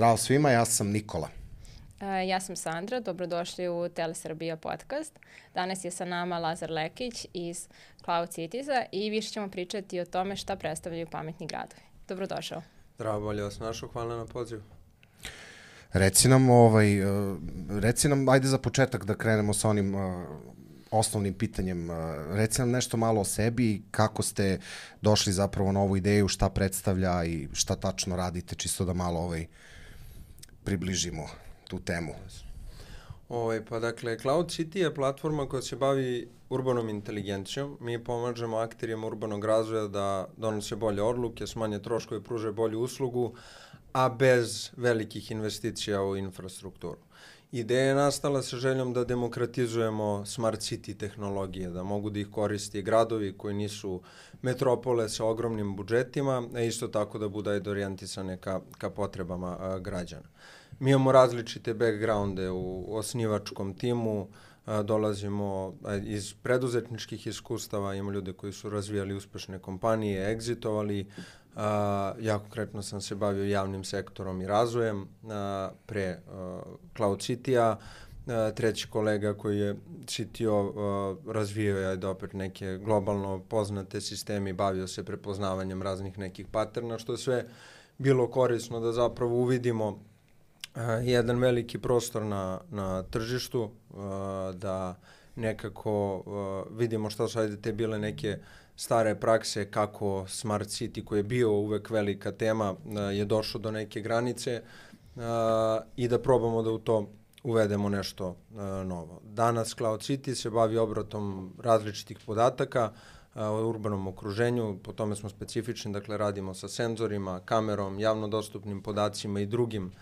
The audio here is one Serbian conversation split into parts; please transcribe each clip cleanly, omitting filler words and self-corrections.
Zdravo svima, ja sam Nikola. Ja sam Sandra, dobrodošli u Telesrbija podcast. Danas je sa nama Lazar Lekić iz Cloud Cities-a i više ćemo pričati o tome šta predstavljaju pametni gradovi. Dobrodošao. Zdravo, bolje vas našao, hvala na pozivu. Reci nam, ajde za početak da krenemo sa onim osnovnim pitanjem. Reci nam nešto malo o sebi, kako ste došli zapravo na ovu ideju, šta predstavlja i šta tačno radite, čisto da malo približimo tu temu. Pa dakle, Cloud City je platforma koja se bavi urbanom inteligencijom. Mi pomažemo akterima urbanog razvoja da donose bolje odluke, smanje troškove, pruže bolju uslugu, a bez velikih investicija u infrastrukturu. Ideja je nastala sa željom da demokratizujemo smart city tehnologije, da mogu da ih koristi gradovi koji nisu metropole sa ogromnim budžetima, a isto tako da budu orijentisane ka potrebama građana. Mi imamo različite backgrounde u osnivačkom timu, dolazimo iz preduzetničkih iskustava, imamo ljude koji su razvijali uspešne kompanije, egzitovali. Ja konkretno sam se bavio javnim sektorom i razvojem pre Cloud City-a. Treći kolega koji je CTO razvijao je opet neke globalno poznate sisteme i bavio se prepoznavanjem raznih nekih paterna, što je sve bilo korisno da zapravo uvidimo jedan veliki prostor na tržištu, da nekako vidimo šta su te bile neke stare prakse, kako Smart City koji je bio uvek velika tema je došao do neke granice i da probamo da u to uvedemo nešto novo. Danas Cloud City se bavi obratom različitih podataka u urbanom okruženju, po tome smo specifični, dakle radimo sa senzorima, kamerom, javno dostupnim podacima i drugim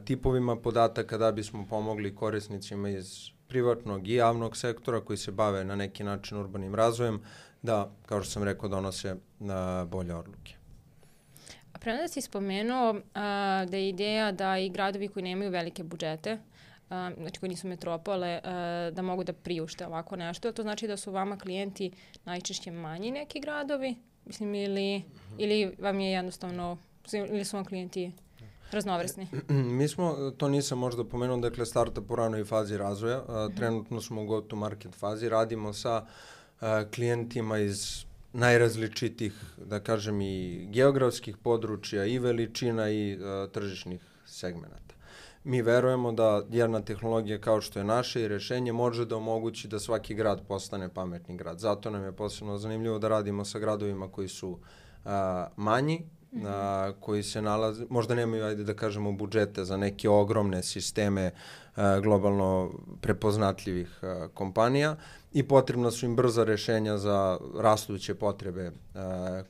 tipovima podataka da bismo pomogli korisnicima iz privatnog i javnog sektora koji se bave na neki način urbanim razvojem da, kao što sam rekao, donose bolje odluke. A prema da si spomenuo da je ideja da i gradovi koji nemaju velike budžete, znači koji nisu metropole, da mogu da priušte ovako nešto. To znači da su vama klijenti najčešće manji neki gradovi, mislim, ili vam je jednostavno, ili su vam klijenti raznovrsni? Mi smo, to nisam možda pomenuo, dakle startup u ranoj fazi razvoja. Trenutno smo u go-to-market fazi. Radimo sa klijentima iz najrazličitih, da kažem, i geografskih područja, i veličina, i tržišnih segmenata. Mi verujemo da jedna tehnologija kao što je naša i rešenje može da omogući da svaki grad postane pametni grad. Zato nam je posebno zanimljivo da radimo sa gradovima koji su manji, koji se nalaze, možda nemaju, ajde da kažemo, budžete za neke ogromne sisteme globalno prepoznatljivih kompanija i potrebna su im brza rešenja za rastuće potrebe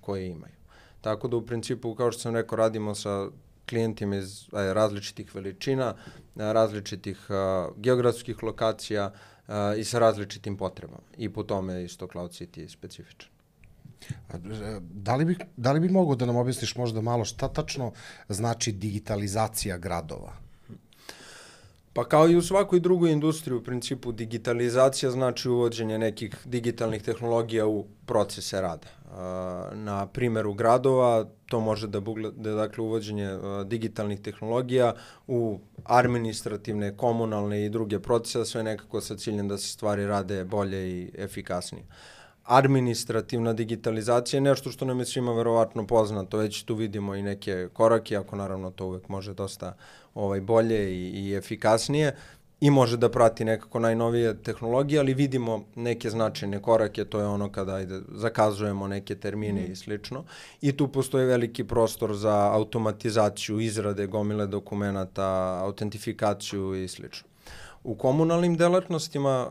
koje imaju. Tako da u principu, kao što sam rekao, radimo sa klijentima iz različitih veličina, različitih geografskih lokacija i sa potrebama. I po tome isto Cloud City je specifičan. Da li bi mogao da nam objasniš možda malo šta tačno znači digitalizacija gradova? Pa kao i u svakoj drugoj industriji, u principu digitalizacija znači uvođenje nekih digitalnih tehnologija u procese rada. Na primjeru gradova to može da bude dakle uvođenje digitalnih tehnologija u administrativne, komunalne i druge procese, sve nekako sa ciljem da se stvari rade bolje i efikasnije. Administrativna digitalizacija je nešto što nam je svima verovatno poznato, već tu vidimo i neke korake, ako naravno to uvek može dosta bolje i efikasnije i može da prati nekako najnovije tehnologije, ali vidimo neke značajne korake, to je ono kada zakazujemo neke termine i slično. I tu postoji veliki prostor za automatizaciju, izrade gomile dokumenata, autentifikaciju i slično. U komunalnim delatnostima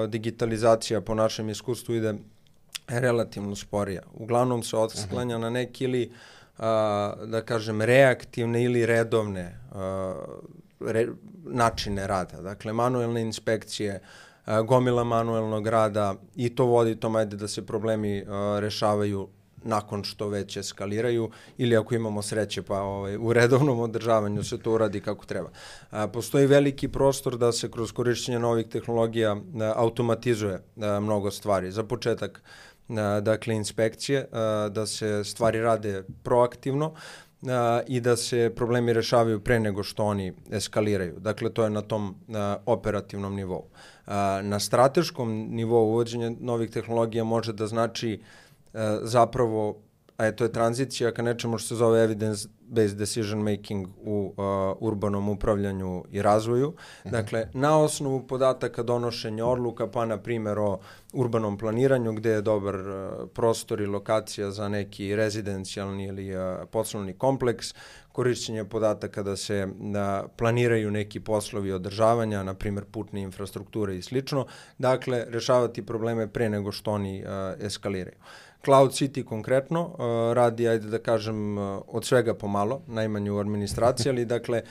digitalizacija po našem iskustvu ide relativno sporija. Uglavnom se odsklanja na neke ili, da kažem, reaktivne ili redovne načine rada. Dakle, manuelne inspekcije, gomila manuelnog rada i to vodi tom, ajde da se problemi rešavaju nakon što već eskaliraju ili ako imamo sreće pa u redovnom održavanju se to uradi kako treba. Postoji veliki prostor da se kroz korišćenje novih tehnologija automatizuje mnogo stvari. Za početak, dakle, inspekcije, da se stvari rade proaktivno, i da se problemi rešavaju pre nego što oni eskaliraju. Dakle, to je na tom operativnom nivou. Na strateškom nivou uvođenje novih tehnologija može da znači zapravo, to je tranzicija ka nečemu što se zove evidence-based decision making u urbanom upravljanju i razvoju. Dakle, na osnovu podataka donošenja odluka, pa na primjer o urbanom planiranju gde je dobar prostor i lokacija za neki rezidencijalni ili poslovni kompleks, korišćenje podataka da se planiraju neki poslovi održavanja, na primjer putne infrastrukture i slično. Dakle, rešavati probleme pre nego što oni eskaliraju. Cloud City konkretno radi, ajde da kažem, od svega pomalo, najmanje u administraciji, ali dakle,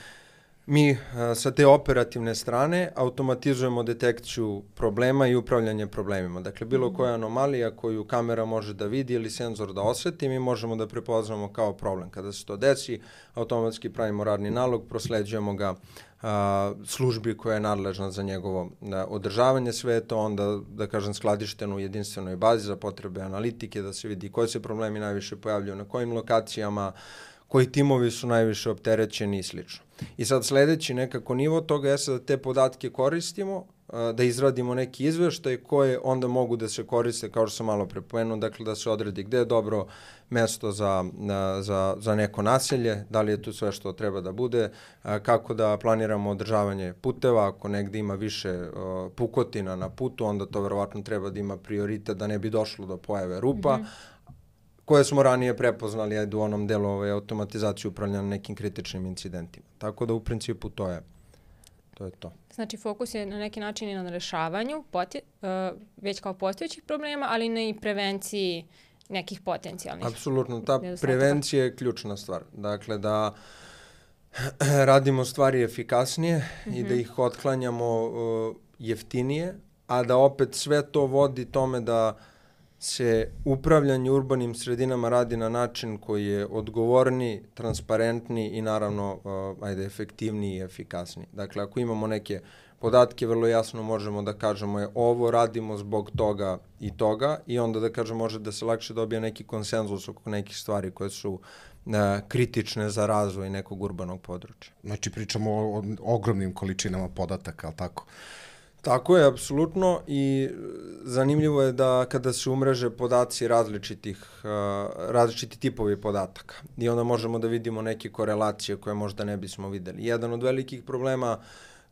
mi sa te operativne strane automatizujemo detekciju problema i upravljanje problemima. Dakle, bilo koja anomalija koju kamera može da vidi ili senzor da osveti, mi možemo da prepoznamo kao problem. Kada se to desi, automatski pravimo radni nalog, prosleđujemo ga službi koja je nadležna za njegovo održavanje, sve je to onda, da kažem, skladišteno u jedinstvenoj bazi za potrebe analitike, da se vidi koji se problemi najviše pojavljuju, na kojim lokacijama, koji timovi su najviše opterećeni i slično. I sad sledeći nekako nivo toga je da te podatke koristimo, da izradimo neki izveštaj koje onda mogu da se koriste, kao što sam malo prepomenuo, dakle da se odredi gde je dobro mesto za neko naselje, da li je tu sve što treba da bude, kako da planiramo održavanje puteva, ako negde ima više pukotina na putu, onda to verovatno treba da ima prioritet da ne bi došlo do pojave rupa, koje smo ranije prepoznali u onom delu automatizacije upravljanja nekim kritičnim incidentima. Tako da u principu to je to. Znači, fokus je na neki način i na rešavanju već kao postojećih problema, ali ne i prevenciji nekih potencijalnih. Apsolutno, ta prevencija je ključna stvar. Dakle, da radimo stvari efikasnije i da ih otklanjamo jeftinije, a da opet sve to vodi tome da se upravljanje urbanim sredinama radi na način koji je odgovorniji, transparentniji i naravno efektivniji i efikasniji. Dakle, ako imamo neke podatke, vrlo jasno možemo da kažemo ovo radimo zbog toga i onda da kažemo može da se lakše dobije neki konsenzus oko nekih stvari koje su kritične za razvoj nekog urbanog područja. Znači pričamo o ogromnim količinama podataka, ali tako? Tako je, apsolutno, i zanimljivo je da kada se umreže podaci različiti tipovi podataka i onda možemo da vidimo neke korelacije koje možda ne bismo videli. Jedan od velikih problema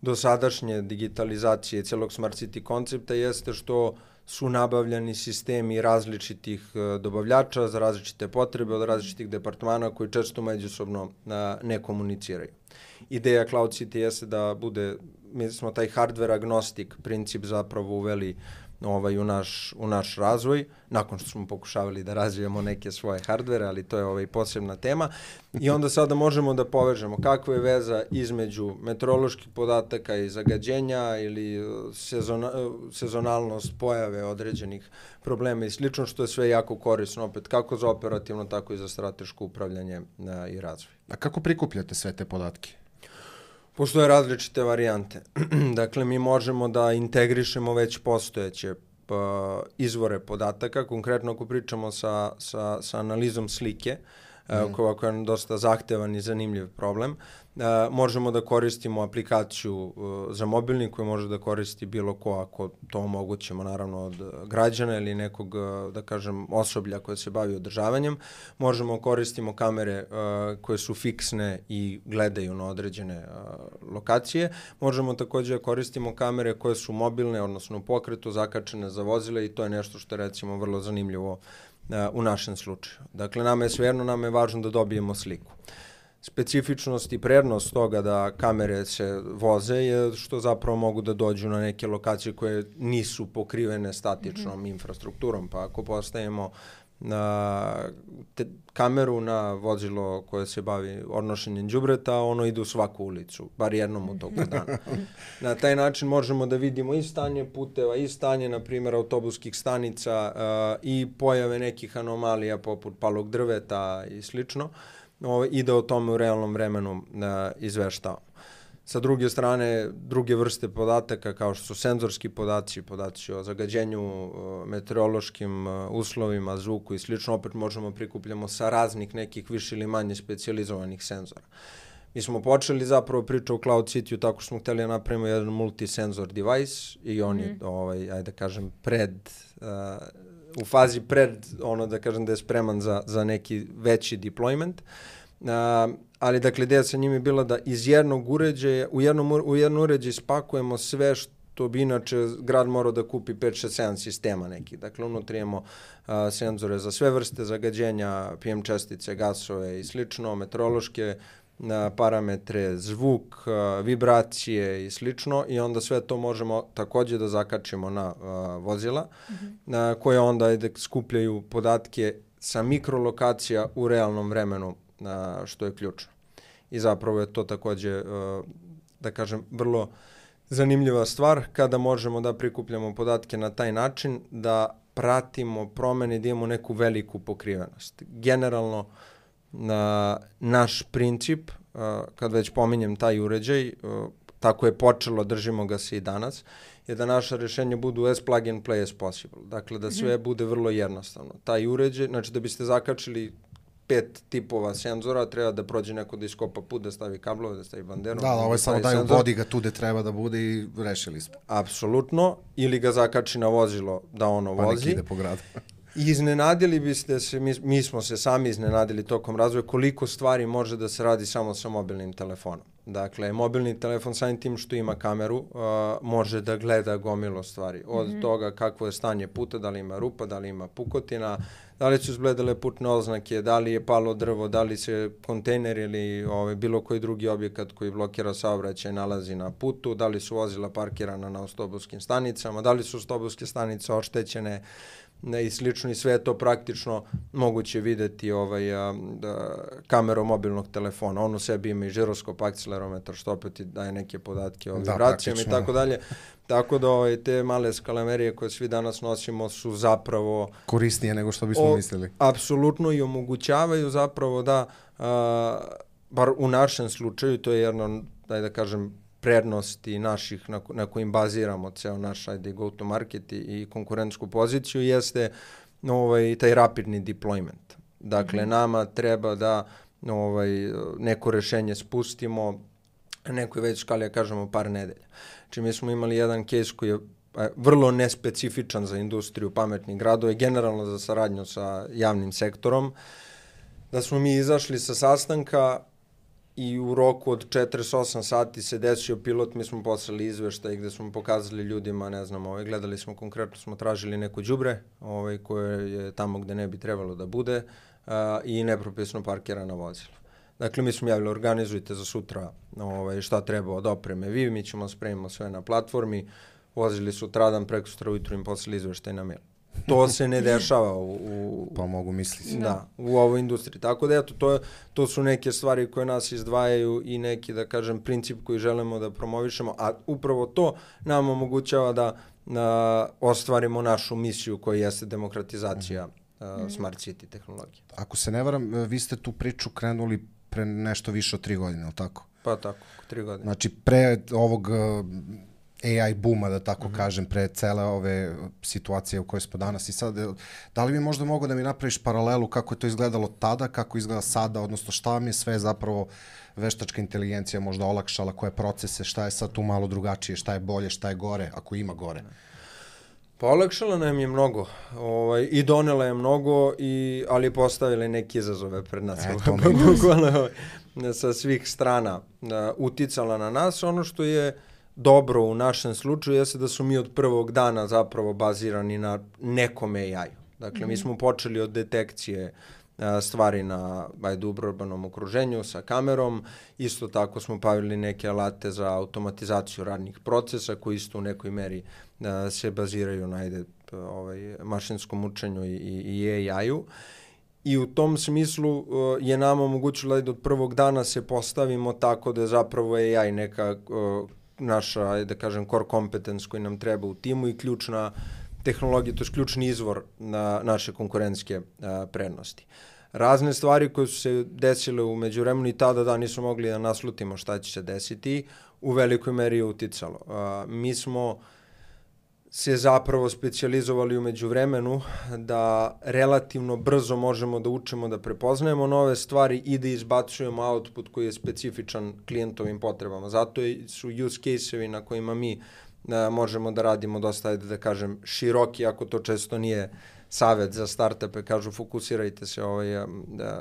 dosadašnje digitalizacije celog Smart City koncepta jeste što su nabavljani sistemi različitih dobavljača za različite potrebe od različitih departmana koji često međusobno ne komuniciraju. Ideja Cloud City jeste da bude, mi smo taj hardware agnostic princip zapravo uveli u naš razvoj, nakon što smo pokušavali da razvijemo neke svoje hardvere, ali to je posebna tema. I onda sada možemo da povežemo kakva je veza između meteoroloških podataka i zagađenja ili sezonalnost pojave određenih problema i slično, što je sve jako korisno, opet kako za operativno, tako i za strateško upravljanje i razvoj. A kako prikupljate sve te podatke? Postoje različite varijante. Dakle, mi možemo da integrišemo već postojeće izvore podataka, konkretno ako pričamo sa analizom slike, koja je dosta zahtevan i zanimljiv problem. Možemo da koristimo aplikaciju za mobilni koju može da koristi bilo ko ako to omogućimo, naravno od građana ili nekog, da kažem, osoblja koje se bavi održavanjem. Možemo koristimo kamere koje su fiksne i gledaju na određene lokacije. Možemo takođe da koristimo kamere koje su mobilne, odnosno u pokretu, zakačene za vozile i to je nešto što je recimo vrlo zanimljivo u našem slučaju. Dakle, nama je važno da dobijemo sliku. Specifičnost i prednost toga da kamere se voze je što zapravo mogu da dođu na neke lokacije koje nisu pokrivene statičnom infrastrukturom, pa ako postavimo kameru na vozilo koje se bavi odnošenjem đubreta, ono ide u svaku ulicu, bar jednom u toku dana. Na taj način možemo da vidimo i stanje puteva, i stanje, na primjer, autobuskih stanica i pojave nekih anomalija poput palog drveta i slično, i da o tome u realnom vremenu izveštavamo. Sa druge strane, druge vrste podataka kao što su senzorski podaci o zagađenju, meteorološkim uslovima, zvuku i slično, opet možemo prikupljamo sa raznih nekih više ili manje specijalizovanih senzora. Mi smo počeli zapravo priču o Cloud City-u tako što smo hteli da napravimo jedan multisenzor device i on je, ajde da kažem, u fazi pred, da kažem da je spreman za neki veći deployment. Ali dakle ideja sa njim je bila da iz jednog uređaja, u jedan uređaj spakujemo sve što bi inače grad morao da kupi 5, 6, 7 sistema nekih. Dakle, unutra imamo senzore za sve vrste zagađenja, PM čestice, gasove i slično, meteorološke parametre, zvuk, vibracije i slično i onda sve to možemo takođe da zakačimo na vozila koje onda skupljaju podatke sa mikrolokacija u realnom vremenu, što je ključno. I zapravo je to takođe, da kažem, vrlo zanimljiva stvar kada možemo da prikupljamo podatke na taj način da pratimo promene, da imamo neku veliku pokrivenost. Generalno, naš princip, kad već pominjem taj uređaj, tako je počelo, držimo ga se i danas, je da naša rešenja budu as plug and play as possible. Dakle, da sve bude vrlo jednostavno. Taj uređaj, znači da biste zakačili 5 tipova senzora, treba da prođe neko da iskopa put, da stavi kablove, da stavi banderu. Da, ovo je samo daju vodi ga tu gde treba da bude i rešili smo. Apsolutno. Ili ga zakači na vozilo da ono vozi. Pa nek ide po gradu. Iznenadili biste se, mi smo se sami iznenadili tokom razvoja koliko stvari može da se radi samo sa mobilnim telefonom. Dakle, mobilni telefon samim tim što ima kameru može da gleda gomilo stvari. Od toga kakvo je stanje puta, da li ima rupa, da li ima pukotina, da li su izgledale putne oznake, da li je palo drvo, da li se kontejner ili bilo koji drugi objekat koji blokira saobraćaj nalazi na putu, da li su vozila parkirana na autobuskim stanicama, da li su autobuske stanice oštećene i slično i sve je to praktično moguće videti kamerom mobilnog telefona. On u sebi ima i žiroskop, akcelerometar, što opet daje neke podatke o vibracijama i tako dalje. Tako da te male skalamerije koje svi danas nosimo su zapravo korisnije nego što bismo mislili. Apsolutno i omogućavaju zapravo da, bar u našem slučaju, to je jedno, da kažem, prednosti naših na kojim baziramo ceo naš go to market i konkurentsku poziciju jeste taj rapidni deployment. Dakle, nama treba da neko rešenje spustimo nekoj već skali, ja kažemo, par nedelja. Znači, mi smo imali jedan case koji je vrlo nespecifičan za industriju pametnih gradova i generalno za saradnju sa javnim sektorom, da smo mi izašli sa sastanka i u roku od 48 sati se desio pilot, mi smo poslali izveštaj gde smo pokazali ljudima, ne znam, gledali smo konkretno, smo tražili neko đubre koje je tamo gde ne bi trebalo da bude i nepropisno parkirana vozila. Dakle, mi smo javili, organizujte za sutra šta treba od opreme vi, mi ćemo spremimo sve na platformi, vozili sutradan, preko sutra ujutru im poslali izveštaj na mail. To se ne dešava pa mogu misliti. Da, u ovoj industriji. Tako da, eto, to su neke stvari koje nas izdvajaju i neki, da kažem, princip koji želimo da promovišemo, a upravo to nam omogućava da ostvarimo našu misiju koja jeste demokratizacija Smart City tehnologije. Ako se ne varam, vi ste tu priču krenuli pre nešto više od 3 godine, ali tako? Pa tako, 3 godine. Znači, pre ovog AI booma, da tako kažem, pre cele ove situacije u kojoj smo danas i sad, da li bi možda mogo da mi napraviš paralelu kako je to izgledalo tada, kako izgleda sada, odnosno šta vam je sve zapravo veštačka inteligencija možda olakšala, koje procese, šta je sad tu malo drugačije, šta je bolje, šta je gore, ako ima gore? Pa olakšala nam je mnogo i donela je mnogo, ali postavila je neke izazove pred nas. Bukvalno sa svih strana uticala na nas. Ono što je dobro u našem slučaju jeste da su mi od prvog dana zapravo bazirani na nekom AI-u. Dakle, mi smo počeli od detekcije stvari na urbanom okruženju sa kamerom. Isto tako smo bavili neke alate za automatizaciju radnih procesa koji isto u nekoj meri se baziraju na mašinskom učenju i AI-u. I u tom smislu je nama omogućilo da od prvog dana se postavimo tako da je zapravo AI neka naša, da kažem, core competence koji nam treba u timu i ključna tehnologija, to je ključni izvor na naše konkurentske prednosti. Razne stvari koje su se desile u međuvremenu i tada nismo mogli da naslutimo šta će se desiti. u velikoj meri uticalo. Mi smo se zapravo specijalizovali u međuvremenu da relativno brzo možemo da učimo, da prepoznajemo nove stvari i da izbacujemo output koji je specifičan klijentovim potrebama. Zato su use case-evi na kojima mi možemo da radimo dosta, da kažem, široki, ako to često nije savet za startupe, kažu fokusirajte se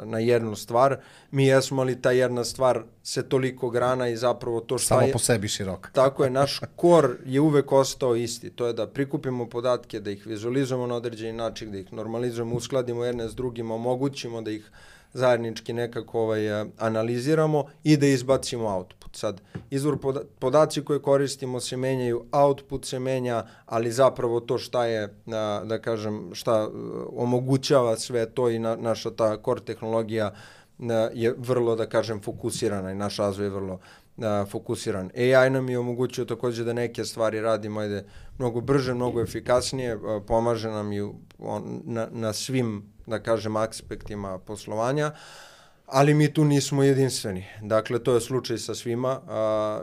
na jednu stvar. Mi jesmo, ali ta jedna stvar se toliko grana i zapravo to šta samo po sebi širok. Tako je, naš core je uvek ostao isti. To je da prikupimo podatke, da ih vizualizujemo na određeni način, da ih normalizujemo, uskladimo jedne s drugima, omogućimo da ih zajednički nekako analiziramo i da izbacimo output. Sad, izvor podaci koje koristimo se menjaju, output se menja, ali zapravo to šta je, da kažem, šta omogućava sve to i naša ta core tehnologija je vrlo, da kažem, fokusirana i naš razvoj je vrlo fokusiran. AI nam je omogućio takođe da neke stvari radimo mnogo brže, mnogo efikasnije, pomaže nam i na svim, da kažem, aspektima poslovanja, ali mi tu nismo jedinstveni. Dakle, to je slučaj sa svima.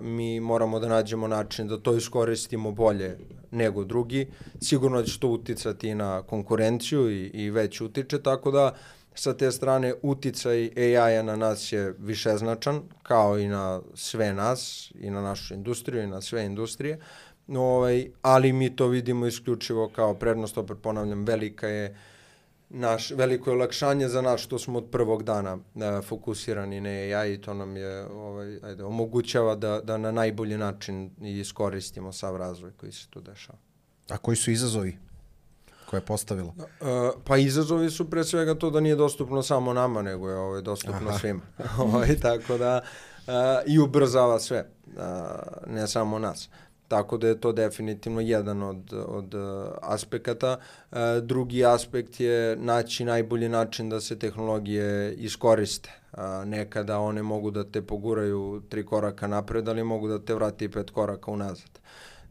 Mi moramo da nađemo način da to iskoristimo bolje nego drugi. Sigurno će to uticati na konkurenciju i već utiče, tako da sa te strane uticaj AI-a na nas je višeznačan, kao i na sve nas, i na našu industriju, i na sve industrije, ali mi to vidimo isključivo kao prednost, opet ponavljam, veliko je olakšanje za nas što smo od prvog dana fokusirani na AI i to nam je omogućava da na najbolji način iskoristimo sav razvoj koji se tu dešava. A koji su izazovi koje je postavilo? Pa izazovi su pre svega to da nije dostupno samo nama, nego je dostupno svima. Tako da i ubrzava sve, ne samo nas. Tako da je to definitivno jedan od aspekata. Drugi aspekt je naći najbolji način da se tehnologije iskoriste. Nekada one mogu da te poguraju 3 koraka napred, ali mogu da te vrati 5 koraka unazad.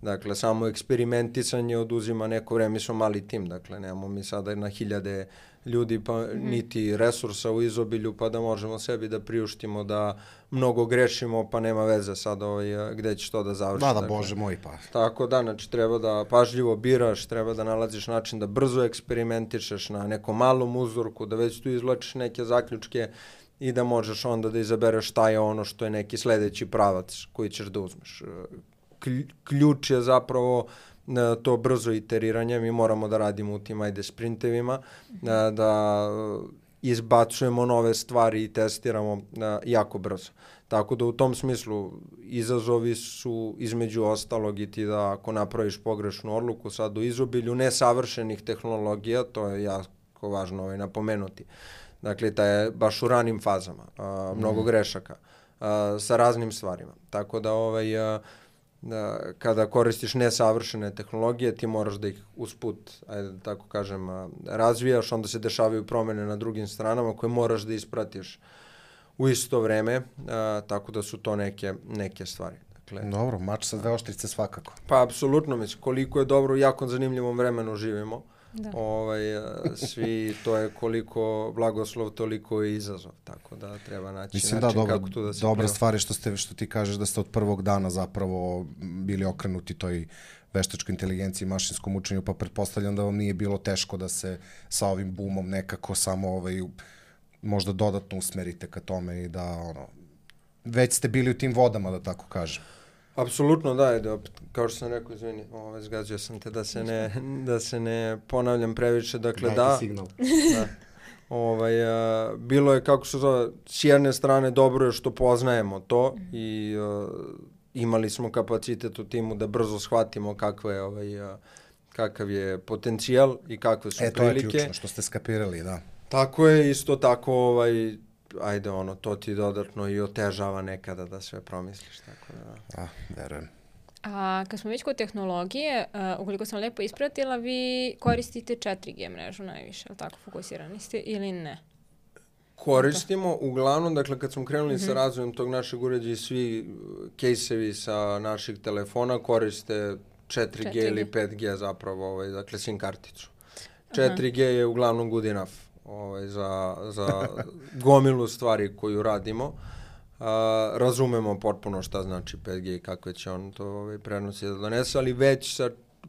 Dakle, samo eksperimentisanje oduzima neko vreme, mi smo mali tim, dakle, nemamo mi sada na 1000 ljudi, pa niti resursa u izobilju, pa da možemo sebi da priuštimo da mnogo grešimo, pa nema veze sad gde ćeš to da završi. Da, Bože moj, pa. Tako da, znači, treba da pažljivo biraš, treba da nalaziš način da brzo eksperimentišeš na nekom malom uzorku, da već tu izvlačiš neke zaključke i da možeš onda da izabereš šta je ono što je neki sledeći pravac koji ćeš da uzmeš. Ključ je zapravo to brzo iteriranje, mi moramo da radimo u tim sprintevima, da izbacujemo nove stvari i testiramo jako brzo. Tako da u tom smislu izazovi su između ostalog i ti da ako napraviš pogrešnu odluku sad u izobilju nesavršenih tehnologija, to je jako važno napomenuti. Dakle, ta je baš u ranim fazama, mnogo grešaka sa raznim stvarima. Tako da kada koristiš nesavršene tehnologije, ti moraš da ih usput, ajde da tako kažem, razvijaš, onda se dešavaju promene na drugim stranama koje moraš da ispratiš u isto vreme, tako da su to neke stvari. Dakle, dobro, mač sa 2 oštrice svakako. Pa, apsolutno, mislim, koliko je dobro, u jako zanimljivom vremenu živimo. Da. Svi, to je koliko blagoslov, toliko i izazov, tako da treba naći način kako tu da se dobra stvar je što ti kažeš da ste od prvog dana zapravo bili okrenuti toj veštačkoj inteligenciji, mašinskom učenju, pa pretpostavljam da vam nije bilo teško da se sa ovim boomom nekako samo možda dodatno usmerite ka tome i da već ste bili u tim vodama, da tako kažem. Apsolutno, da, kao što sam rekao, izvini, zgazio sam te da se ne ponavljam previše, dakle da. Signal. Bilo je, kako se zove, s jedne strane dobro je što poznajemo to i imali smo kapacitet u timu da brzo shvatimo kakav je potencijal i kakve su prilike. To je ključno što ste skapirali, da. Tako je, isto tako, to ti dodatno i otežava nekada da sve promisliš, tako da. Verujem. A kad smo već kod tehnologije, ukoliko sam lepo ispratila, vi koristite 4G mrežu najviše, ali tako fokusirani ste ili ne? Koristimo, uglavnom, dakle, kad smo krenuli sa razvojem tog našeg uređaja, svi kejsevi sa naših telefona koriste 4G ili 5G zapravo, dakle, SIM karticu. 4G je uglavnom good enough za gomilu stvari koju radimo. razumemo potpuno šta znači 5G i kakve će on to prenosi da donese, ali već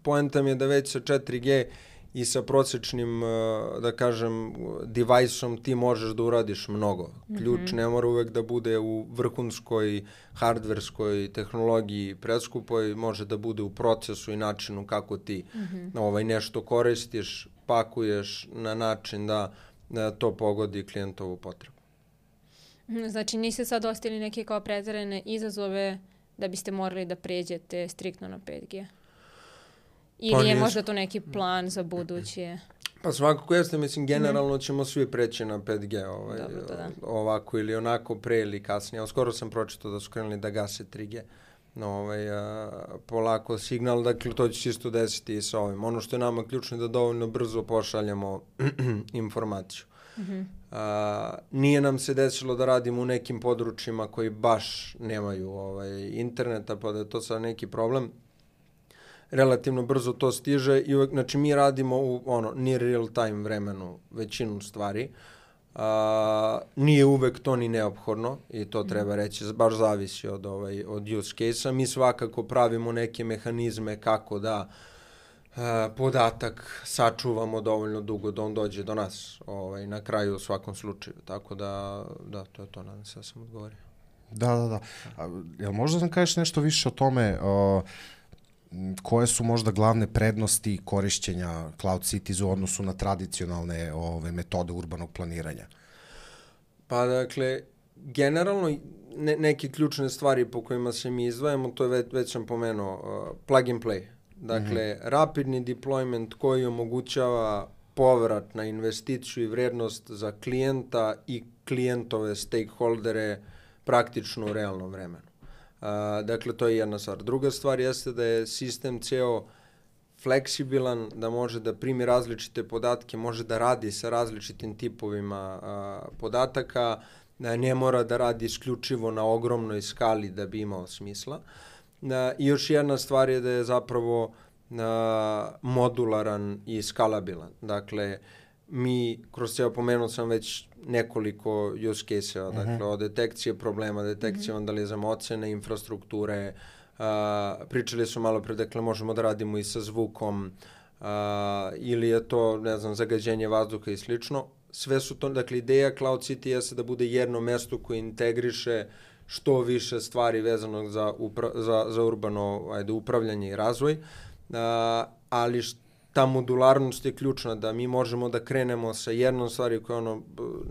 poenta mi je da već sa 4G i sa prosječnim, da kažem, device-om ti možeš da uradiš mnogo. Ključ ne mora uvek da bude u vrhunskoj hardverskoj tehnologiji preskupoj, može da bude u procesu i načinu kako ti nešto koristiš, pakuješ na način da to pogodi klijentovu potrebu. Znači niste sad ostavili neke kao pretjerane izazove da biste morali da pređete striktno na 5G? Ili je možda to neki plan za buduće? Pa svakako jeste, mislim, generalno ćemo svi preći na 5G, ovako ili onako, pre ili kasnije. Skoro sam pročitao da su krenuli da gase 3G. Polako signal, dakle to će se isto desiti i sa ovim. Ono što je nama ključno je da dovoljno brzo pošaljemo informaciju. Nije nam se desilo da radimo u nekim područjima koji baš nemaju interneta, pa da je to sad neki problem. Relativno brzo to stiže i uvek, znači mi radimo u near real time vremenu većinu stvari. Nije uvek to ni neophodno i to treba reći, baš zavisi od use case-a. Mi svakako pravimo neke mehanizme kako da podatak sačuvamo dovoljno dugo da on dođe do nas na kraju u svakom slučaju. Tako da to je to, nadam se da sam odgovorio. Da. Jel možda nam kažeš nešto više o tome koje su možda glavne prednosti korišćenja Cloud Cities u odnosu na tradicionalne metode urbanog planiranja? Pa dakle, generalno neke ključne stvari po kojima se mi izdvajamo, to je već sam pomenuo, plug and play. Dakle, rapidni deployment koji omogućava povrat na investiciju i vrednost za klijenta i klijentove stakeholdere praktično u realnom vremenu. Dakle, to je jedna stvar. Druga stvar jeste da je sistem ceo fleksibilan, da može da primi različite podatke, može da radi sa različitim tipovima podataka, ne mora da radi isključivo na ogromnoj skali da bi imao smisla. I još jedna stvar je da je zapravo modularan i skalabilan. Dakle, mi, kroz ceo pomenuo sam već nekoliko use case-eva, dakle, od detekcije problema, detekcije vandalizama, ocene infrastrukture, pričali su malo pre, dakle, možemo da radimo i sa zvukom, ili je to, ne znam, zagađenje vazduha i slično. Sve su to, dakle, ideja Cloud City jeste da bude jedno mesto koje integriše što više stvari vezanog za urbano upravljanje i razvoj, ali ta modularnost je ključna, da mi možemo da krenemo sa jednom stvari koja je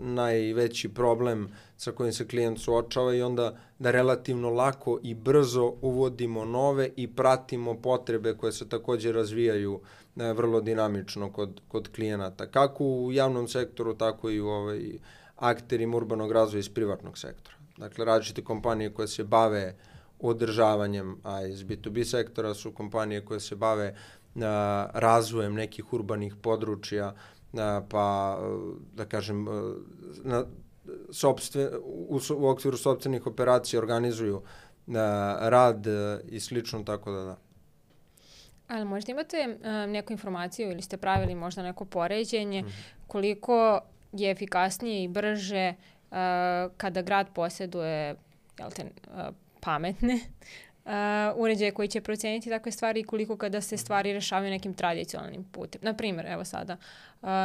najveći problem sa kojim se klijent suočava i onda da relativno lako i brzo uvodimo nove i pratimo potrebe koje se također razvijaju vrlo dinamično kod klijenata. Kako u javnom sektoru, tako i u akterima urbanog razvoja iz privatnog sektora. Dakle, različite kompanije koje se bave održavanjem, a iz B2B sektora su kompanije koje se bave razvojem nekih urbanih područja, pa da kažem u okviru sopstvenih operacija organizuju rad i slično, tako da. Ali možda imate neku informaciju ili ste pravili možda neko poređenje koliko je efikasnije i brže kada grad posjeduje pametne uređaje koji će proceniti takve stvari i koliko kada se stvari rešavaju nekim tradicionalnim putem. Naprimjer, evo sada,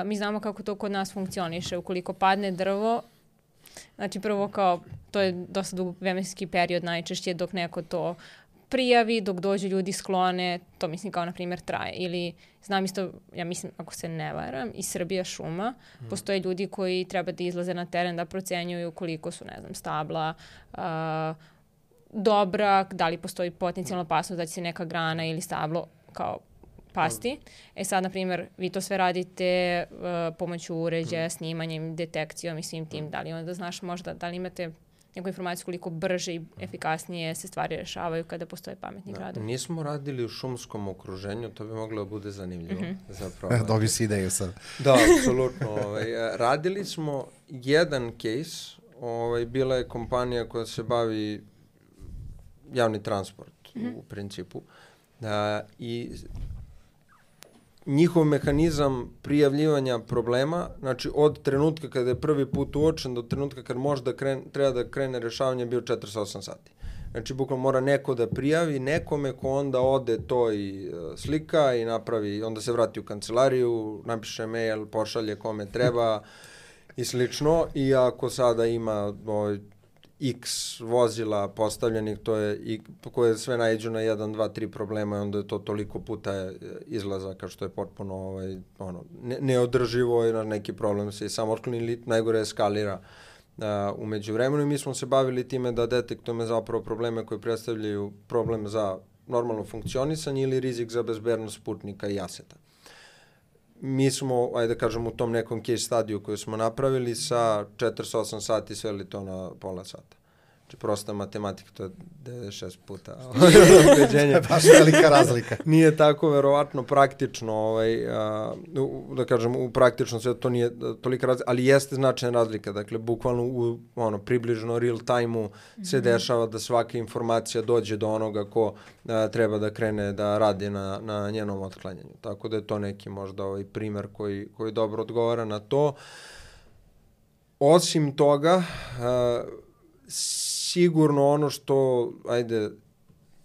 mi znamo kako to kod nas funkcioniše. Ukoliko padne drvo, znači prvo kao, to je dosta dug vremenski period najčešće dok neko to prijavi, dok dođu ljudi sklone, to mislim kao na primjer traje. Ili znam isto, ja mislim, ako se ne varam, iz Srbija šuma, postoje ljudi koji treba da izlaze na teren da procenjuju koliko su, ne znam, stabla, dobra, da li postoji potencijalna opasnost da će se neka grana ili stablo kao pasti. Sad, na primjer, vi to sve radite pomoću uređaja, snimanjem, detekcijom i svim tim. Da li onda znaš možda, da li imate neku informaciju koliko brže i efikasnije se stvari rešavaju kada postoje pametni gradovi? Nismo radili u šumskom okruženju, to bi moglo da bude zanimljivo. Dobio si ideju sad. Da, apsolutno. Radili smo jedan case, bila je kompanija koja se bavi javni transport u principu i njihov mehanizam prijavljivanja problema, znači od trenutka kada je prvi put uočen do trenutka kad možda treba da krene rešavanje, bio 48 sati. Znači, bukvalno mora neko da prijavi nekome ko onda ode to i slika i napravi, onda se vrati u kancelariju, napiše mail, pošalje kome treba i slično. I ako sada ima x vozila postavljenih, to je koje sve naiđu na 1, 2, 3 problema i onda je to toliko puta izlazaka što je potpuno neodrživo i na neki problem se i samo otkloni ili najgore eskalira umeđu vremenu. I mi smo se bavili time da detektujemo zapravo probleme koji predstavljaju problem za normalno funkcionisanje ili rizik za bezbednost putnika i aseta. Mi smo, ajde da kažem, u tom nekom case studiju koju smo napravili sa 48 sati sveli to na pola sata. Znači, prosta matematika, to je 96 puta ubeđenje. Baš velika razlika. Nije tako verovatno praktično, da kažem, u praktičnom sve to nije tolika razlika, ali jeste značajna razlika. Dakle, bukvalno u približno real time-u se dešava da svaka informacija dođe do onoga ko treba da krene da radi na njenom otklanjanju. Tako da je to neki možda primer koji dobro odgovara na to. Osim toga, sigurno ono što,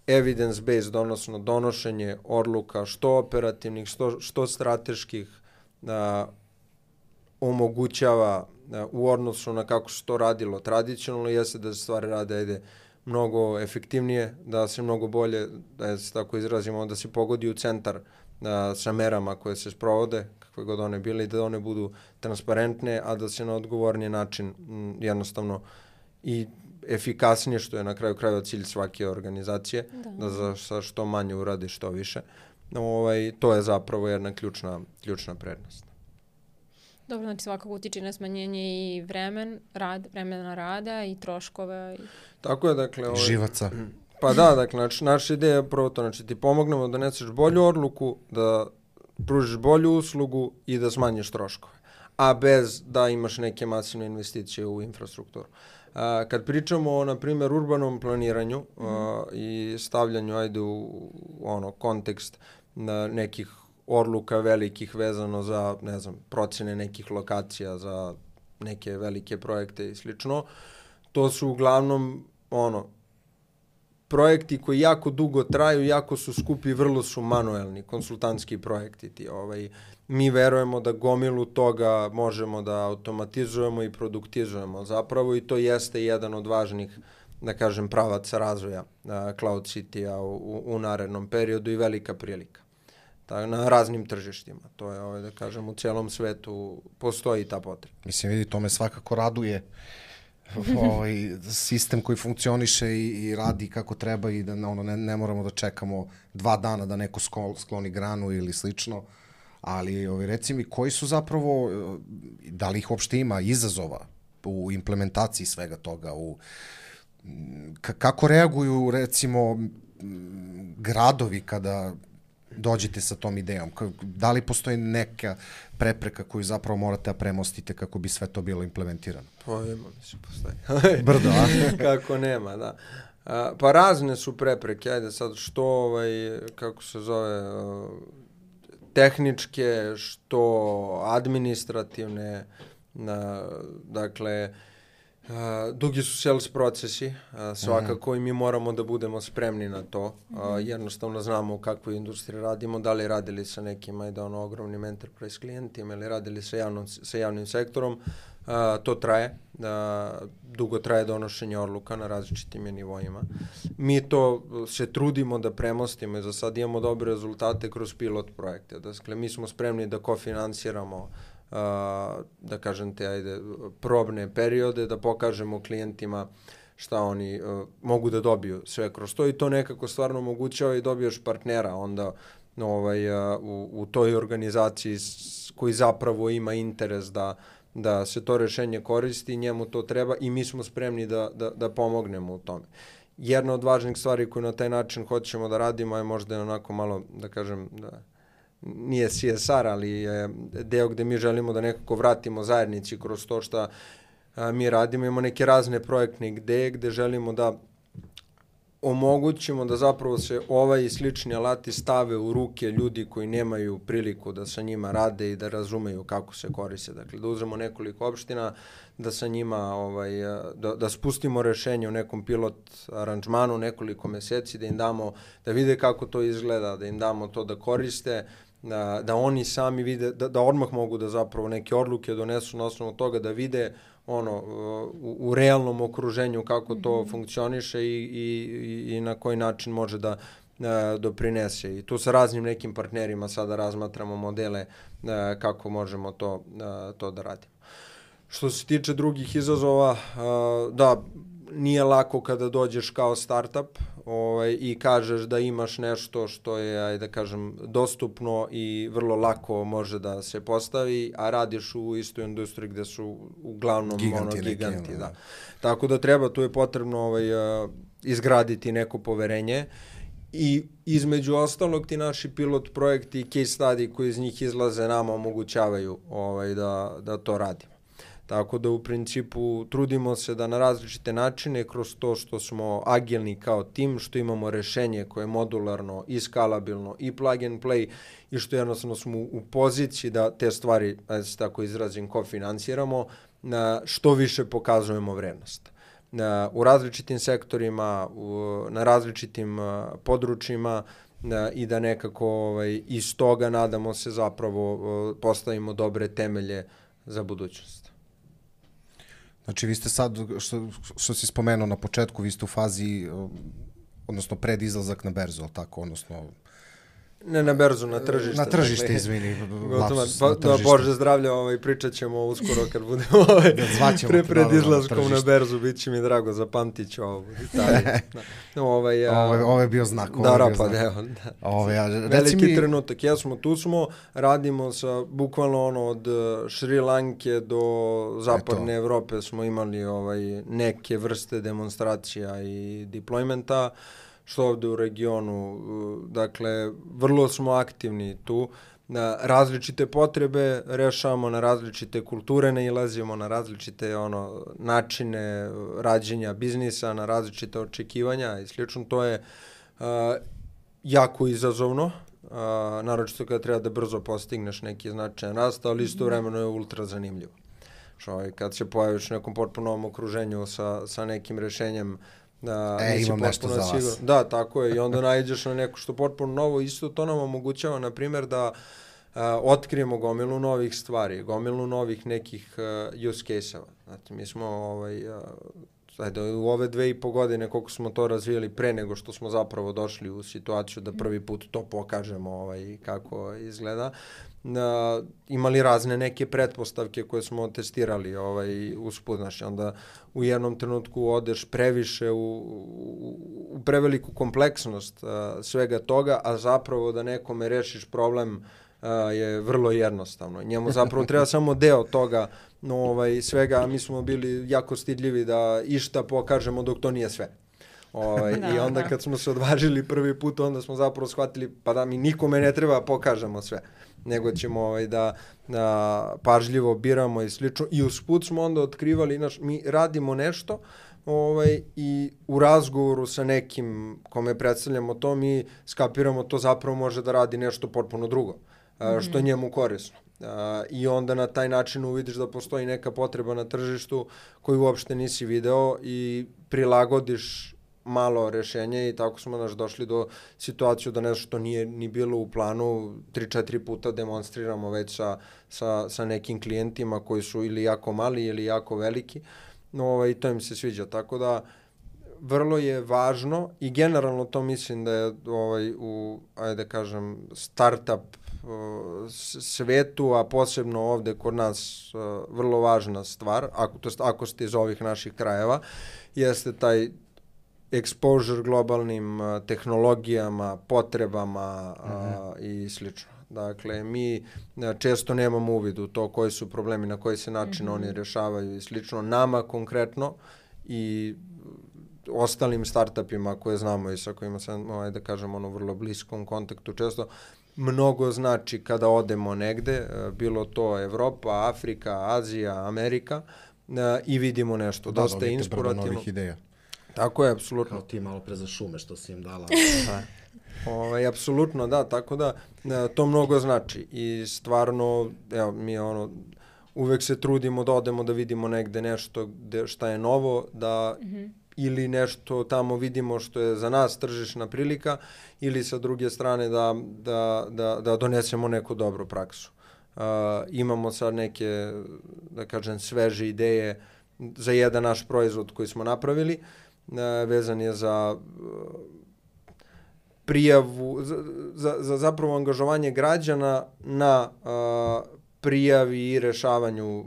evidence-based, odnosno donošenje odluka, što operativnih, što strateških, omogućava u odnosu na kako se to radilo tradicionalno, jeste da se stvari rade, mnogo efektivnije, da se mnogo bolje, da se tako izrazimo, da se pogodi u centar sa merama koje se sprovode, kakve god one bile, i da one budu transparentne, a da se na odgovorniji način jednostavno i efikasnije, što je na kraju krajeva cilj svake organizacije, da sa što manje uradi što više. To je zapravo jedna ključna prednost. Dobro, znači svakako utiče na smanjenje i vremena rada i troškove. Tako je, dakle... Živaca. Pa da, dakle, naša ideja je prvo to, znači ti pomognemo da doneseš bolju odluku, da pružiš bolju uslugu i da smanjiš troškove, a bez da imaš neke masivne investicije u infrastrukturu. Kad pričamo na primjer, urbanom planiranju i stavljanju, u kontekst nekih odluka velikih vezano za, procene nekih lokacija, za neke velike projekte i slično, to su uglavnom, projekti koji jako dugo traju, jako su skupi, vrlo su manuelni, konsultantski projekti ti. Mi verujemo da gomilu toga možemo da automatizujemo i produktizujemo zapravo i to jeste jedan od važnih, da kažem, pravaca razvoja Cloud City-a u narednom periodu i velika prilika. Na raznim tržištima. To je, da kažem, u celom svetu postoji ta potreba. Mislim, vidi, to me svakako raduje. Sistem koji funkcioniše i radi kako treba i da ne moramo da čekamo 2 dana da neko skloni granu ili slično. Ali reci mi, koji su zapravo, da li ih uopšte ima izazova u implementaciji svega toga, kako reaguju recimo gradovi kada dođete sa tom idejom? Da li postoji neka prepreka koju zapravo morate da premostite kako bi sve to bilo implementirano? Pa ima, mislim, postoji. Brdo, a? Kako nema, da. Pa razne su prepreke, sad što, kako se zove, tehničke, što administrativne, dakle, dugi su sales procesi, svakako i mi moramo da budemo spremni na to. Jednostavno znamo u kakvoj industriji radimo, da li radili sa nekim ogromnim enterprise klijentima ili radili sa javnim sektorom. To traje, dugo traje donošenje odluka na različitim nivoima. Mi to se trudimo da premostimo i za sad imamo dobre rezultate kroz pilot projekte. Dakle, mi smo spremni da kofinansiramo da kažem probne periode, da pokažemo klijentima šta oni mogu da dobiju sve kroz to i to nekako stvarno omogućava i dobiješ partnera onda u toj organizaciji koji zapravo ima interes da se to rešenje koristi, njemu to treba i mi smo spremni da pomognemo u tome. Jedna od važnih stvari koju na taj način hoćemo da radimo je možda onako malo, da kažem, nije CSR, ali je deo gde mi želimo da nekako vratimo zajednici kroz to što mi radimo. Imamo neke razne projektne ideje gde želimo da omogućimo da zapravo se ovaj i slični alati stave u ruke ljudi koji nemaju priliku da sa njima rade i da razumeju kako se koriste. Dakle, da uzmemo nekoliko opština, da sa njima da spustimo rešenje u nekom pilot aranžmanu nekoliko meseci, da im damo, da vide kako to izgleda, da im damo to da koriste, da oni sami vide, da odmah mogu da zapravo neke odluke donesu na osnovu toga, da vide u realnom okruženju kako to funkcioniše i na koji način može da doprinese. I tu sa raznim nekim partnerima sada razmatramo modele kako možemo to da radimo. Što se tiče drugih izazova, da, nije lako kada dođeš kao startup i kažeš da imaš nešto što je, ajde da kažem, dostupno i vrlo lako može da se postavi, a radiš u istoj industriji gde su uglavnom giganti. Da. Tako da treba, tu je potrebno izgraditi neko poverenje i između ostalog ti naši pilot projekti i case study koji iz njih izlaze nama omogućavaju da to radimo. Tako da u principu trudimo se da na različite načine, kroz to što smo agilni kao tim, što imamo rešenje koje je modularno i skalabilno i plug and play i što jednostavno smo u poziciji da te stvari, da se tako izrazim, kofinansiramo, što više pokazujemo vrednost. U različitim sektorima, na različitim područjima i da nekako iz toga nadamo se zapravo postavimo dobre temelje za budućnost. Znači, vi ste sad, što si spomenuo na početku, vi ste u fazi, odnosno pred izlazak na berzu, ali tako, odnosno... Ne na berzu, na tržište. Na tržište, izvini. Da, Bože zdravlja, pričat ćemo uskoro kad budemo pred izlaskom na berzu, bit će mi drago, zapamtit ću ovo. Ovo je bio znak. Da, rapad, evo. Veliki trenutak, jesmo, tu smo, radimo sa bukvalno od Šri Lanke do zapadne Evrope smo imali neke vrste demonstracija i deploymenta, što ovde u regionu, dakle, vrlo smo aktivni tu, na različite potrebe rešavamo, na različite kulture nailazimo, na različite načine rađenja biznisa, na različite očekivanja i slično. To je jako izazovno, naročito kada treba da brzo postigneš neki značajan rast, ali istovremeno je ultra zanimljivo. Kad se pojaviš u nekom potpuno novom okruženju sa nekim rešenjem, imam nešto za vas. Da, tako je. I onda nađeš na neko što potpuno novo. Isto to nam omogućava, na primjer, da otkrijemo gomilu novih stvari, gomilu novih nekih use case-eva. Znači, mi smo u ove 2,5 godine koliko smo to razvijali pre nego što smo zapravo došli u situaciju da prvi put to pokažemo kako izgleda. Imali razne neke pretpostavke koje smo testirali usput, znači onda u jednom trenutku odeš previše u preveliku kompleksnost svega toga, a zapravo da nekome rešiš problem je vrlo jednostavno. Njemu zapravo treba samo deo toga svega, mi smo bili jako stidljivi da išta pokažemo dok to nije sve. I onda kad smo se odvažili prvi put, onda smo zapravo shvatili pa da mi nikome ne treba pokažemo sve, nego ćemo da pažljivo biramo i slično. I usput smo onda otkrivali, mi radimo nešto i u razgovoru sa nekim kome predstavljamo to, mi skapiramo to zapravo može da radi nešto potpuno drugo, što je njemu korisno. I onda na taj način uvidiš da postoji neka potreba na tržištu koju uopšte nisi video i prilagodiš malo rešenje i tako smo došli do situaciju da nešto što nije ni bilo u planu 3-4 puta demonstriramo već sa nekim klijentima koji su ili jako mali ili jako veliki, i to im se sviđa. Tako da vrlo je važno i generalno to mislim da je ajde da kažem, startup svetu, a posebno ovde kod nas vrlo važna stvar, ako ste iz ovih naših krajeva, jeste taj exposure globalnim tehnologijama, potrebama i slično. Dakle, mi često nemamo uvid u to koji su problemi, na koji se način oni rešavaju i slično. Nama konkretno i ostalim startupima koje znamo i sa kojima sam, da kažem, vrlo bliskom kontaktu često, mnogo znači kada odemo negde, bilo to Evropa, Afrika, Azija, Amerika, i vidimo nešto. Dosta inspirativno. Novih ideja. Tako je, apsolutno. Kao ti malo pre za šume što si im dala. Apsolutno, da, tako da to mnogo znači i stvarno, evo, mi uvek se trudimo da odemo da vidimo negde nešto šta je novo, da ili nešto tamo vidimo što je za nas tržišna prilika ili sa druge strane da donesemo neku dobru praksu. Imamo sad neke, da kažem, sveže ideje za jedan naš proizvod koji smo napravili, vezan je za prijavu, za zapravo angažovanje građana na prijavi i rešavanju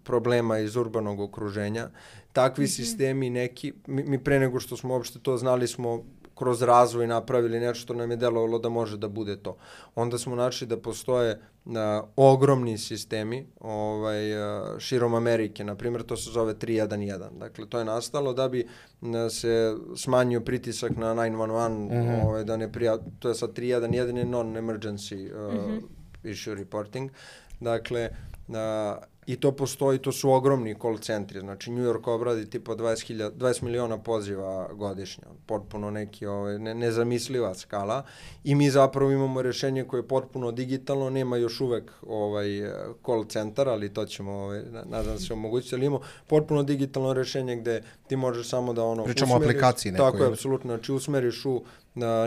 problema iz urbanog okruženja. Takvi sistemi neki, mi pre nego što smo uopšte to znali smo kroz razvoj napravili nešto što nam je delovalo da može da bude to. Onda smo našli da postoje ogromni sistemi širom Amerike, na primjer to se zove 311. Dakle, to je nastalo da bi se smanjio pritisak na 911, da ne to je sad 311 je non-emergency issue reporting. Dakle, i to postoji, to su ogromni call centri, znači New York obradi tipa 20 miliona poziva godišnje, potpuno neki nezamisliva skala i mi zapravo imamo rešenje koje je potpuno digitalno, nema još uvek call centar, ali to ćemo, nadam se, omogućiti, ali imamo potpuno digitalno rešenje gde ti možeš samo da pričamo o aplikaciji nekoj. Tako je, apsolutno, znači usmeriš u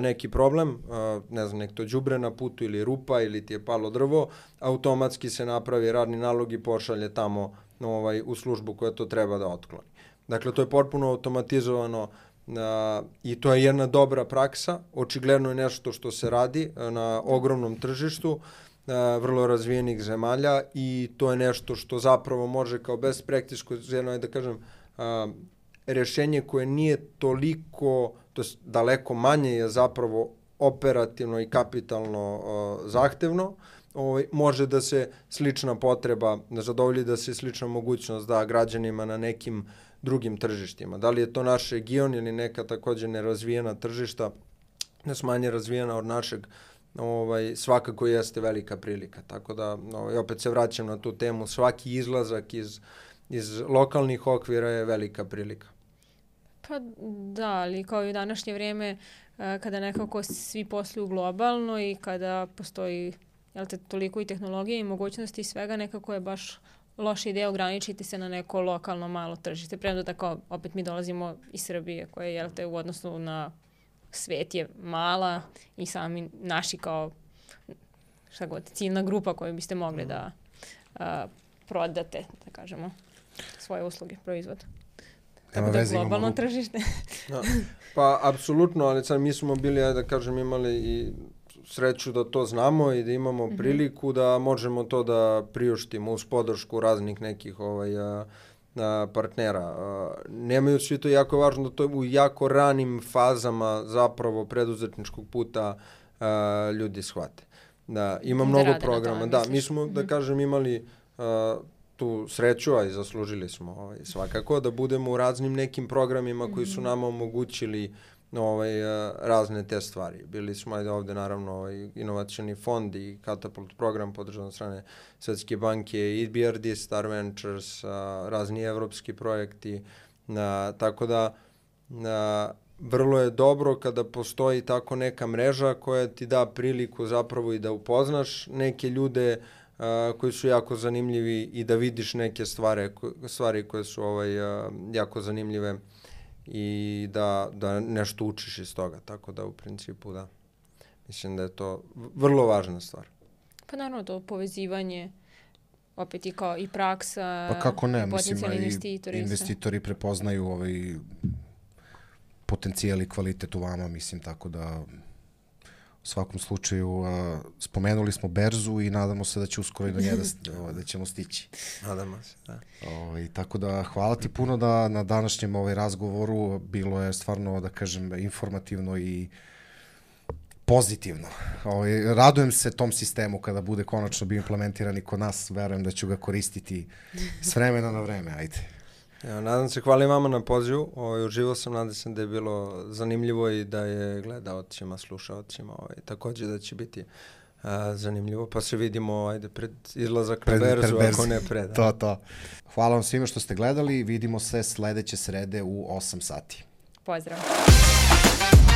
neki problem, ne znam, nek to đubre na putu ili rupa ili ti je palo drvo, automatski se napravi radni nalog i pošalje tamo u službu koja to treba da otkloni. Dakle, to je potpuno automatizovano i to je jedna dobra praksa, očigledno je nešto što se radi na ogromnom tržištu, vrlo razvijenih zemalja i to je nešto što zapravo može kao best practice, da kažem, rešenje koje nije toliko, to je daleko manje je zapravo operativno i kapitalno zahtevno, može da se slična potreba zadovolji, da se slična mogućnost da građanima na nekim drugim tržištima. Da li je to naš region ili neka takođe nerazvijena tržišta, manje razvijena od našeg, svakako jeste velika prilika. Tako da, opet se vraćam na tu temu, svaki izlazak iz lokalnih okvira je velika prilika. Pa da, ali kao i u današnje vrijeme kada nekako svi posluju globalno i kada postoji toliko i tehnologije i mogućnosti i svega, nekako je baš loša ideja ograničiti se na neko lokalno malo tržište. Premda tako, opet mi dolazimo iz Srbije koja je u odnosu na svet je mala i sami naši kao ciljna grupa koju biste mogli da prodate, da kažemo, svoje usluge, proizvod. Tako da je globalno tržište. Pa, apsolutno, ali sad mi smo bili, da kažem, imali i sreću da to znamo i da imamo priliku da možemo to da priuštimo uz podršku raznih nekih partnera. Nemaju svi to, jako važno da to u jako ranim fazama zapravo preduzetničkog puta ljudi shvate. Da, ima mnogo programa. Da, mi smo, da kažem, imali tu sreću, a i zaslužili smo svakako, da budemo u raznim nekim programima koji su nama omogućili razne te stvari. Bili smo ovde naravno inovacioni fond i Katapult program podržan od strane Svetske banke, EBRD, Star Ventures, razni evropski projekti, tako da vrlo je dobro kada postoji tako neka mreža koja ti da priliku zapravo i da upoznaš neke ljude koji su jako zanimljivi i da vidiš neke stvari koje su jako zanimljive i da nešto učiš iz toga. Tako da u principu da, mislim da je to vrlo važna stvar. Pa naravno to povezivanje, opet i kao i praksa, pa kako ne, potencijalni investitori prepoznaju potencijal i kvalitet u vama, mislim, tako da u svakom slučaju spomenuli smo berzu i nadamo se da će uskoro i do nje da ćemo stići. Nadamo se, da. Tako da hvala ti puno da na današnjem razgovoru bilo je stvarno, da kažem, informativno i pozitivno. Radujem se tom sistemu kada bude konačno bio implementiran i kod nas, verujem da ću ga koristiti s vremena na vreme, ajde. Nadam se, hvala i vama na pozivu, uživao sam, nadam se da je bilo zanimljivo i da je gledaocima, slušaocima, takođe da će biti zanimljivo, pa se vidimo pred izlazak na berzu, ako ne pred. To. Hvala vam svima što ste gledali, vidimo se sledeće srede u 8 sati. Pozdrav!